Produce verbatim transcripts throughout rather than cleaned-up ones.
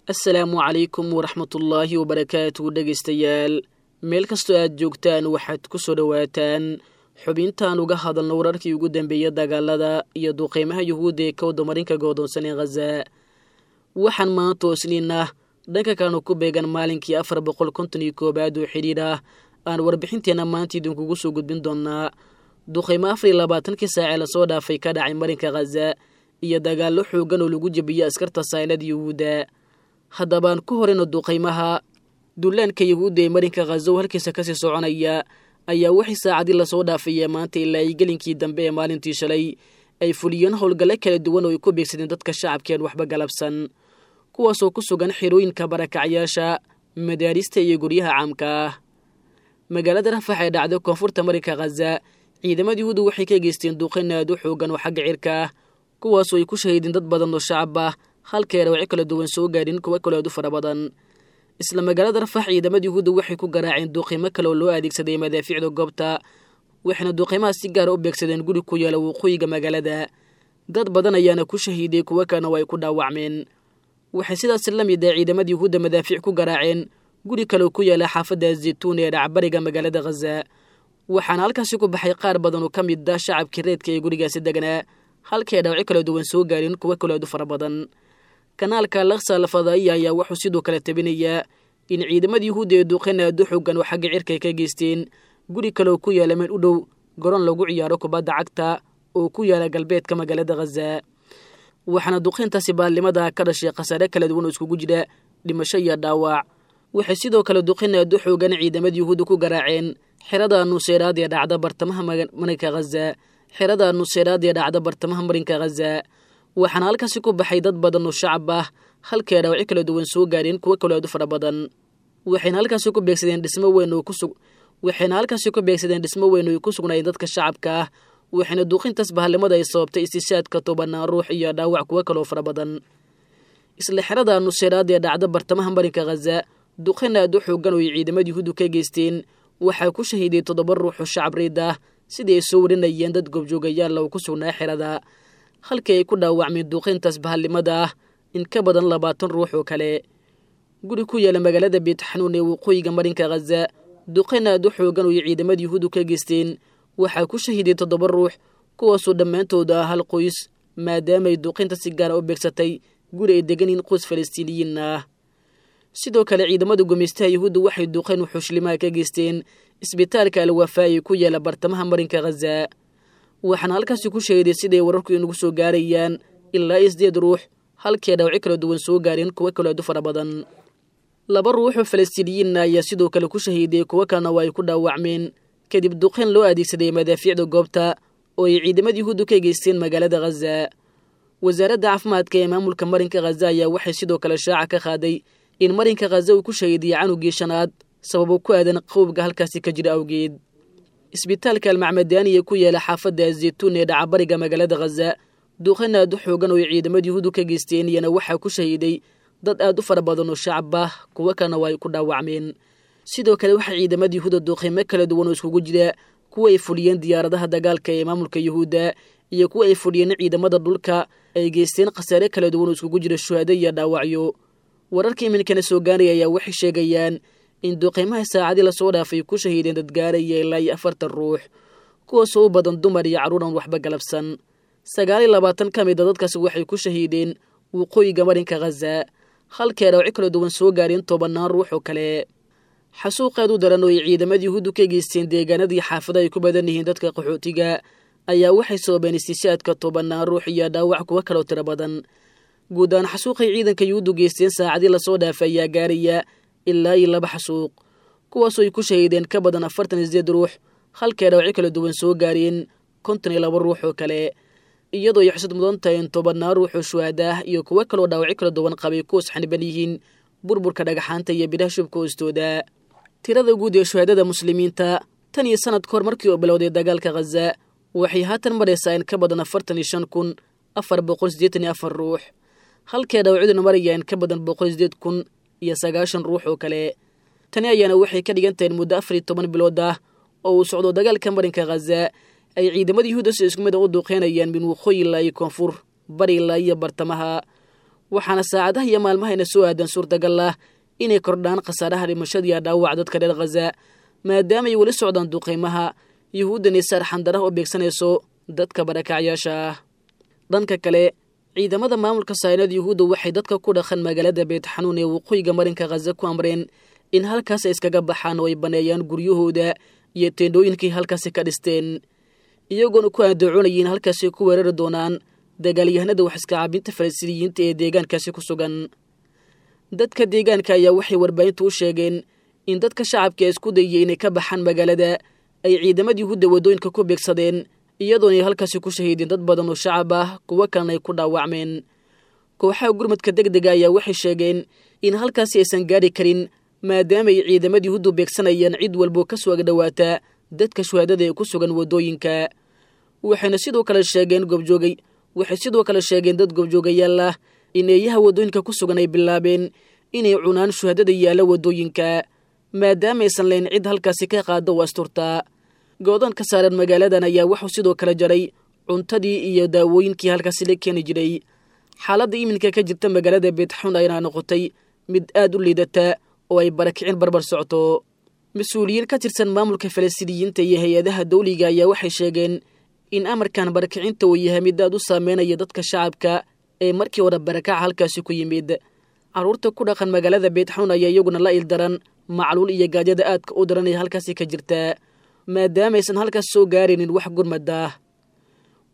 Assalaamu calaykum waraxmatullaahi wabarakaatu dhegaystayaal meel kastoo aad joogtaan waxaad ku soo dhowaataan xubintaan uga hadalno wararkii ugu dambeeyay dagaalada iyo duqeymaha yuhuudda ee ka wadamarinka goodoonsan ee Khaza. Waxaan maanta oo Isniin ah dhanka kalena ku beegan maalinkii afar boqol konton iyo koowaad oo xidhiir ah aan warbixinteena maanta idinkugu soo gudbin doonaa duqeymo afar iyo labaatankii saacee lasoo dhaafay ka dhacay marinka Khaza iyo dagaallo xoogan oo lagu jebiyey askarta saynada yuhuudda. Haddabaan ku horeyno duqeymaha dullaanka yuhuudda ee marinka Khaza oo halkiisa kasii soconaya ayaa wixii saacadii lasoo dhaafaya maanta ilaa ay gelinkii dambe ee maalintii shalay ay fuliyeen howlgallo kala duwan oo ay ku beegsadeen dadka shacabkeen waxba galabsan, kuwaasoo ku sugan xerooyinka barakacyaasha, madaarista iyo guryaha caamka ah. Magaalada Rafax ee dhacda koonfurta marinka Khaza, ciidamada yuhuudda waxay ka geysteen duqeyn aad u xoogan oo xagga cirka ah, kuwaasoo ay ku shahiideen dad badan oo shacab ah, halka ay dhaawacyo kala duwan soo gaadhin kuwo kale aad u fara badan. Isla magaalada Rafax ciidamada yuhuudda waxay ku garaaceen duqeymo kale oo loo adeegsaday madaafiicda goobta, waxayna duqeymaha si gaara u beegsadeen guri ku yaala waqooyiga magaalada. Dad badan ayaana ku shahiiday, kuwo kalena waa ay ku dhaawacmeen. Waxay sidaas la mid ah ciidamada yuhuudda madaafiic ku garaaceen guri kale oo ku yaala xaafadda Zaytuun ee dhacbariga magaalada Khaza, waxaana halkaasi ku baxay qaar badan oo ka mid ah shacabkii reedka ee gurigaasi deganaa, halkii ay dhaawacyo kala duwan soo gaareen kuwo kale aad u fara badan. Kanaalka Al-Aqsa Al-Fadaa'iya ayaa wuxuu sidoo kale tabinayaa in ciidamada yuhuudda ee duqeyn aad u xoogan oo xagga cirka ay ka geysteen guri kale oo ku yaala meel u dhow garoon lagu ciyaaro kubadda cagta oo ku yaala galbeedka magaalada Khaza, waxaana duqeyntaasi baalnimada ka dhashay khasaare kala duwan oo iskugu jira dhimasho iyo dhaawac. Waxay sidoo kale duqeyn aad u xoogan ciidamada yuhuudda ku garaaceen xerada Nuseyraad ee dhacda bartamaha marinka Khaza, xerada Nuseyraad ee dhacda bartamaha marinka Khaza, waxaana halkaasi ku baxay dad badan oo shacab ah, halkii ay dhaawacyo kala duwan soo gaareen kuwo kale aad u fara badan. Waxayna halkaasi ku beegsadeen dhismo weyn oo ku sug waxayna halkaasi ku beegsadeen dhismo weyn oo ay ku sugnaayeen dadka shacabka ah, waxayna duqintaas bahalnimada ay sababtay istishaadka tobanaan ruux iyo dhaawac kuwo kaloo fara badan. Isla xerada Nuseyraad ee dhacda bartamaha marinka Khaza, duqeyn aad u xoogan oo ay ciidamada yuhuuddu ka geysteen waxaa ku shahiiday toddoba ruux oo shacab riid ah, sidii ay soo warinayeen dad goobjoogayaal oo ku sugnaa xerada, halkii ay ku dhaawacmeen duqeyntaas bahalnimada ah in ka badan labaatan ruux oo kale. Guri ku yaala magaalada Beit Xanuun ee waqooyiga marinka Khaza, duqeyn aad u xoogan oo ay ciidamada yuhuuddu ka geysteen waxaa ku shahiiday toddoba ruux, kuwaasoo dhammaantooda ah hal qoys, maadaama ay duqeynta si gaara u beegsatay guri ay degan yihiin qoys falastiiniyiin ah. Sidoo kale ciidamada gumaystaha yuhuudda waxay duqeyn wuxuushlimaha ka geysteen isbitaalka Al-Wafaa ee ku yaala bartamaha marinka Khaza, waxaana halkaasi ku shahiiday siday wararku inagu soo gaarayaan ilaa sideed ruux, halkii ay dhaawacyo kala duwan soo gaareen kuwo kale aad u fara badan. Laba ruux oo falastiiniyiinna ayaa sidoo kale ku shahiiday, kuwo kalena waa ay ku dhaawacmeen kadib duqeyn loo adeegsaday madaafiicda goobta oo ay ciidamada yuhuuddu ka geysteen magaalada Khaza. Wasaaradda caafimaadka ee maamulka marinka Khaza ayaa waxay sidoo kale shaaca ka qaaday in marinka Khaza uu ku shahiidiyey canugii shanaad sababo ku aadan qowbga halkaasi ka jira awgeed. Isbitaalka Almacmadaani ee ku yaala xaafadda Zaytuun ee dhacabariga magaalada Khaza, duqeyn aad u xoogan oo ay ciidamada yuhuuddu ka geysteen iyana waxaa ku shahiiday dad aad u fara badan oo shacab ah, kuwo kalena waa ay ku dhaawacmeen. Sidoo kale waxaa ciidamada yuhuudda duqeymo kala duwan oo iskugu jira kuwa ay fuliyeen diyaaradaha dagaalka ee maamulka yuhuudda iyo kuwa ay fuliyeen ciidamada dhulka ay geysteen khasaare kala duwan oo iskugu jira shuhado iyo dhaawacyo. Wararka iminkana soo gaaraya ayaa waxay sheegayaan in duqeymaha saacadii lasoo dhaafay ku shahiideen dad gaaraya ilaa iyo afartan ruux, kuwaasoo u badan dumar iyo carruur aan waxba galabsan. Sagaal iyo labaatan ka mid a dadkaasi waxay ku shahiideen waqooyiga marinka Khaza, halkii ay dhaawacyo kala duwan soo gaareen tobannaan ruux oo kale. Xasuuqeed u daran oo ay ciidamada yuhuuddu ka geysteen deegaanadii xaafada ay ku badan yihiin dadka qaxootiga ayaa waxay sababeen istishaadka tobannaan ruux iyo dhaawac kuwo kaloo tiro badan. Guud ahaan xasuuqay ciidanka yuhuuddu geysteen saacadii lasoo dhaafay ayaa gaaraya ilaa iyo laba xasuuq, kuwaasoo ay ku shahiideen ka badan afartan iyo sideed ruux, halkii ay dhaawacyo kala duwan soo gaareen konton iyo laba ruux oo kale, iyadoo ay xusad mudan tahay in tobannaan ruux oo shuhada ah iyo kuwo kaloo dhaawacyo kala duwan qabay kuwas xaniban yihiin burburka dhagaxaanta iyo bidhaha shubka hoostooda. Tirada guud ee shuhadada muslimiinta tan iyo sanad kahor markii uu bilowday dagaalka Khaza waxay haatan maraysaa in ka badan afartan iyo shan kun afar boqol siddeetan iyo afar ruux, halkii dhaawacduna maraya in ka badan boqol sideed kun iyo sagaashan ruux oo kale. Tani ayaana waxay ka dhigan tahay in muddo afar iyo toban bilood ah oo uu socdo dagaalka marinka Khaza ay ciidamada yuhuudda si isku mid ah u duqeynayaan min waqooyi ilaa iyo koonfur, bari ilaa iyo bartamaha. Waxaana saacadaha iyo maalmahayna soo aadan suurtagal ah inay kordhaan khasaaraha dhimashadiiyo dhaawaca dadka reer Khaza, maadaama ay weli socdaan duqeymaha Yuhuuddani saar xandaraha u beegsanayso dadka barakacyaasha ah. Dhanka kale, ciidamada maamulka saynada Yuhuudda waxay dadka ku dhaqan magaalada Beyt Xanuun ee waqooyiga marinka Khaza ku amreen in halkaas ay iskaga baxaan oo ay baneeyaan guryahooda iyo teendhooyinkii halkaasi ka dhisteen, iyagoona ku andacoonaya in halkaasi ku weerari doonaan dagaalyahanada wax iska caabinta Falastiiniyiinta ee deegaankaasi ku sugan. Dadka deegaanka ayaa waxay warbaahintu u sheegeen in dadka shacabka ee isku dayaya inay ka baxaan magaalada ay ciidamada Yuhuudda waddooyinka ku beegsadeen, iyadoona ay halkaasi ku shahiideen dad badan oo shacab ah, kuwo kalena ay ku dhaawacmeen. Kooxaha gurmadka deg dega ayaa waxay sheegeen in halkaasi aysan gaari karin, maadaama ay ciidamada Yuhuuddu beegsanayaan cid walbo ka soo agdhowaata dadka shuhaadada ee ku sugan waddooyinka. Waxayna sidoo kale sheegeen goobjoogay waxay sidoo kale sheegeen dad goobjoogayaal ah in eeyaha waddooyinka ku sugan ay bilaabeen inay cunaan shuhaadada yaalla waddooyinka, maadaama aysan lahayn cid halkaasi ka qaada oo asturtaa. Goodoon ka saaran magaaladan ayaa wuxuu sidoo kale jaray cuntadii iyo daawooyinkii halkaasi la keeni jiray. Xaaladda iminka ka jirta magaalada Beytxuun ayna noqotay mid aad u liidata oo ay barakicin barbar socto. Mas-uuliyiin ka tirsan maamulka Falastiiniyiinta iyo hay-adaha dawliga ayaa waxay sheegeen in amarkan barakicinta uu yahay mid aad u saameynaya dadka shacabka ee markii hore barakaca halkaasi ku yimid. Carruurta ku dhaqan magaalada Beytxuun ayaa iyaguna la ildaran macluul iyo gaajada aadka u daran ee halkaasi ka jirta, maadaama aysan halkaas soo gaaraynin wax gurmad ah.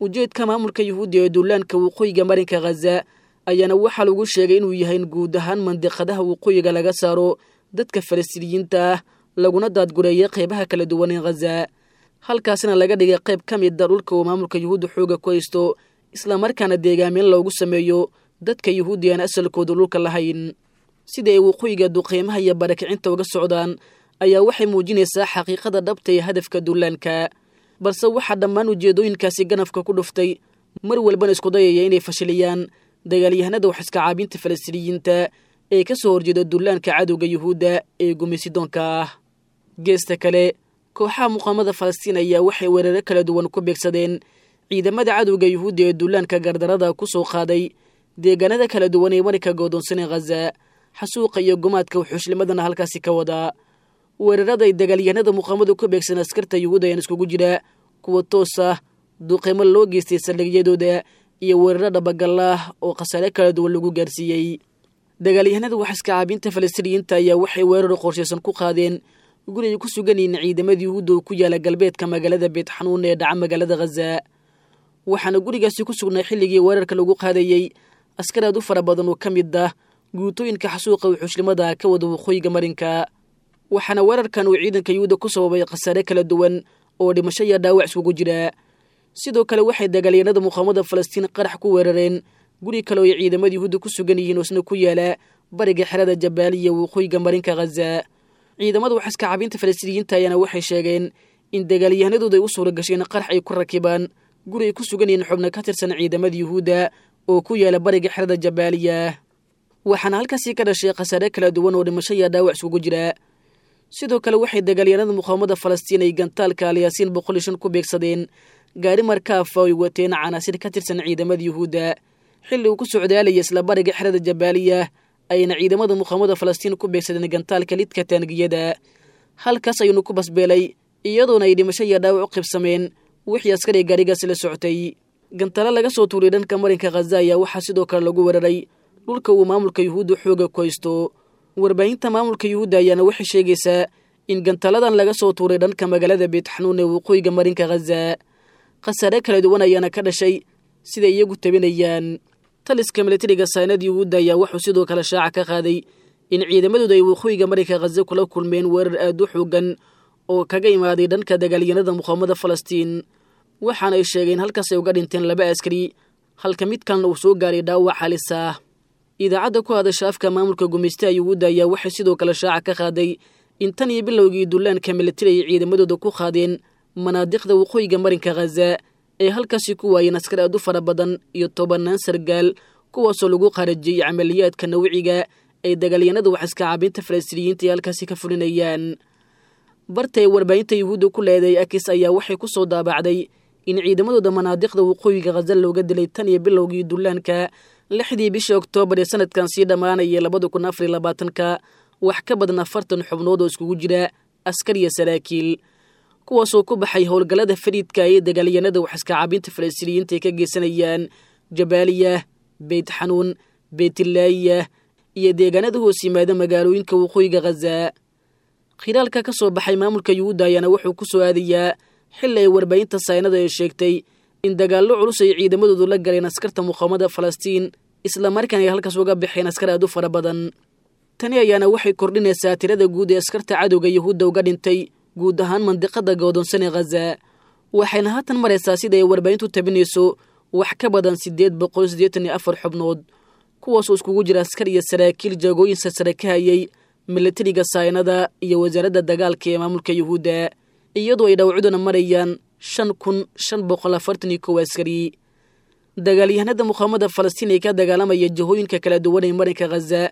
Ujeedka maamulka Yuhuudda ee duulaanka waqooyiga marinka Khaza ayaana waxaa lagu sheegay inuu yahay in guud ahaan mandiqadaha waqooyiga laga saaro dadka Falastiiniyiinta ah, laguna daadgureeyay qeybaha kala duwan ee Khaza, halkaasina laga dhigay qayb ka mid a dhulka uu maamulka Yuhuudda xooga ku haysto, islamarkaana deegaamin loogu sameeyo dadka Yuhuuddi aan asalkooda dhulka lahayn. Sida ay waqooyiga duqeymaha iyo barakicinta uga socdaan ayaa waxay muujinaysaa xaqiiqada dhabta ee hadafka duulaanka, balse waxaa dhammaan ujeedooyinkaasi ganafka ku dhuftay mar walbana isku dayaya inay fashiliyaan dagaalyahanada wax iska caabinta Falastiiniyiinta ee ka soo horjeeda duulaanka cadowga Yuhuudda ee gumaysidoonka ah. Geesta kale, kooxaha muqaamada Falastiin ayaa waxay weeraro kala duwan ku beegsadeen ciidamada cadowga Yuhuudda ee duulaanka gardarada ku soo qaaday deegaanada kala duwan ee marinka goodoonsanee Khaza, xasuuqa iyo gumaadka wuxuushlimadana halkaasi ka wadaa. Weerarada ay dagaalyahanada muqaamadu ku beegsan askarta Yuhuudda ayaan iskugu jira kuwa toos ah, duqeymo loo geystay saldhigyadooda iyo weeraro dhabagal ah oo khasaare kala duwan lagu gaarsiiyey. Dagaalyahanada wax iska caabinta Falastiiniyiinta ayaa waxay weeraro qorshaysan ku qaadeen guri ay ku sugan yihiin ciidamada Yuhuudda oo ku yaala galbeedka magaalada Beytxanuun ee dhaca magaalada Khaza. Waxaana gurigaasi ku sugnaa xilligii weerarka lagu qaadayey askar aad u fara badan oo ka mid ah guutooyinka xasuuqa wuxuushlimada ka wada waqooyiga marinka. Waxaana weerarkan uu ciidanka Yuhuudda ku sababay khasaare kala duwan oo dhimasho iyo dhaawac iskugu jira. Sidoo kale waxay dagaalyahanada muqaamada Falastiin qarax ku weerareen guri kale oo ay ciidamada Yuhuudda ku sugan yihiin oo isna ku yaala bariga xerada Jabaaliya waqooyiga marinka Khaza. Ciidamada wax iska caabinta Falastiiniyiinta ayaana waxay sheegeen in dagaalyahanadooda ay u suura gashay in qarax ay ku rakibaan guri ay ku sugan yihiin xubno ka tirsan ciidamada Yuhuudda oo ku yaala bariga xerada Jabaaliya. Waxaana halkaasi ka dhashay khasaare kala duwan oo dhimasho iyo dhaawac iskugu jira. Sidoo kale waxay dagaalyahanada muqaamada Falastiin ay gantaalka Alyaasiin boqol iyo shan ku beegsadeen gaari markaafa ay wateen canaasir ka tirsan ciidamada Yuhuudda xilli uu ku socdaalayay isla bariga xerada Jabaaliya, ayna ciidamada muqaamada Falastiin ku beegsadeen gantaalka lidka taangiyada. Halkaas ayuunu ku basbeelay, iyadoona ay dhimasho iyo dhaawac u qaybsameen wixii askariga gaarigaasi la socotay. Gantaalo laga soo tuuray dhanka marinka Khaza ayaa waxaa sidoo kale lagu weeraray dhulka uu maamulka Yuhuudda xooga ku haysto. Warbaahinta maamulka Yuhuudda ayaana waxay sheegaysaa in gantaaladan laga soo tuuray dhanka magaalada Beytxanuun ee waqooyiga marinka Khaza. Khasaare kala duwan ayaana ka dhashay siday iyagu tabinayaan. Taliska militariga saynada Yuhuudda ayaa wuxuu sidoo kale shaaca ka qaaday in ciidamadooda ay waqooyiga marinka Khaza kula kulmeen weerar aad u xoogan oo kaga imaaday dhanka dagaalyahanada muqaamada Falastiin. Waxaana ay sheegeen halkaas ay uga dhinteen laba askari, halka mid kalena uu soo gaaray dhaawac halis ah. Idaacadda ku hadasha afka maamulka gumaystaha Yuhuudda ayaa waxay sidoo kale shaaca ka qaaday in tan iyo bilowgii duulaanka militari ay ciidamadooda ku qaadeen manaadiqda waqooyiga marinka Khaza ee halkaasi ku waayeen askar aad u fara badan iyo tobannaan sargaal, kuwaasoo lagu qarajiyey camaliyaadka nawciga ay dagaalyahanada wax iska caabinta Falastiiniyiinta ay halkaasi ka fulinayaan. Barta ay warbaahinta Yuhuudda ku leedahay Akis ayaa waxay ku soo daabacday in ciidamadooda manaadiqda waqooyiga Khaza looga dilay tan iyo bilowgii duulaanka Lixdii bishii Oktoobar ee sanadkan sii dhammaanayay labada kun afariyo labaatanka wax ka badan afartan xubnood oo iskugu jira askar iyo saraakiil, kuwaasoo ku baxay howlgallada fariidka ee dagaalyanada waxiskacaabinta Falastiiniyiinta ay ka geysanayaan Jabaaliya, Beyt Xanuun, Beytlaayiya iyo deegaanada hoos yimaada magaalooyinka waqooyiga Khaza. Khilaalka ka soo baxay maamulka Yuhuudda ayaana wuxuu ku soo aadayaa xilli ay warbaahinta saynada ay sheegtay in dagaallo culus ay ciidamadoodu la galeen askarta muqaawamada Falastiin, islamarkaana ay halkaas uga baxeen askar aad u fara badan. Tani ayaana waxay kordhinaysaa tirada guud ee askarta cadowga Yuhuudda uga dhintay guud ahaan mandiqada godoonsan ee Khaza, waxayna haatan maraysaa sida ay warbaahintu tabinayso wax ka badan siddeed boqol siddeetan iyo afar xubnood, kuwaasoo iskugu jira askar iyo saraakiil jaagooyin sarsare ka hayay milatariga saynada iyo wasaaradda dagaalka ee maamulka Yuhuudda, iyadoo ay dhawcuduna marayaan shan kun shan boqol afartan iyo kow askari. Dagaalyahanada muqaawamada Falastiin ee ka dagaalamaya jihooyinka kala duwan ee marinka Khaza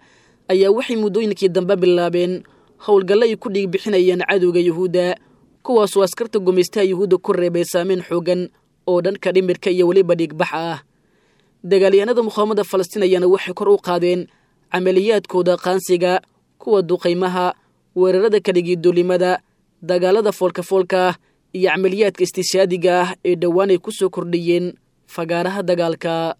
ayaa waxay muddooyinkii dambe bilaabeen howlgallo ay ku dhiig bixinayaan cadowga Yuhuudda, kuwaasoo askarta gumaystaha Yuhuudda ku reebay saameyn xoogan oo dhanka dhimirka iyo weliba dhiigbax ah. Dagaalyahanada muqaawamada Falastiin ayaana waxay kor u qaadeen camaliyaadkooda qaansiga, kuwa duqaymaha, weerarada kaligiiduulimada, dagaalada foolkafoolka ah iyo camaliyaadka istishaadiga ah ee dhowaan ay ku soo kordhiyeen fagaaraha dagaalka.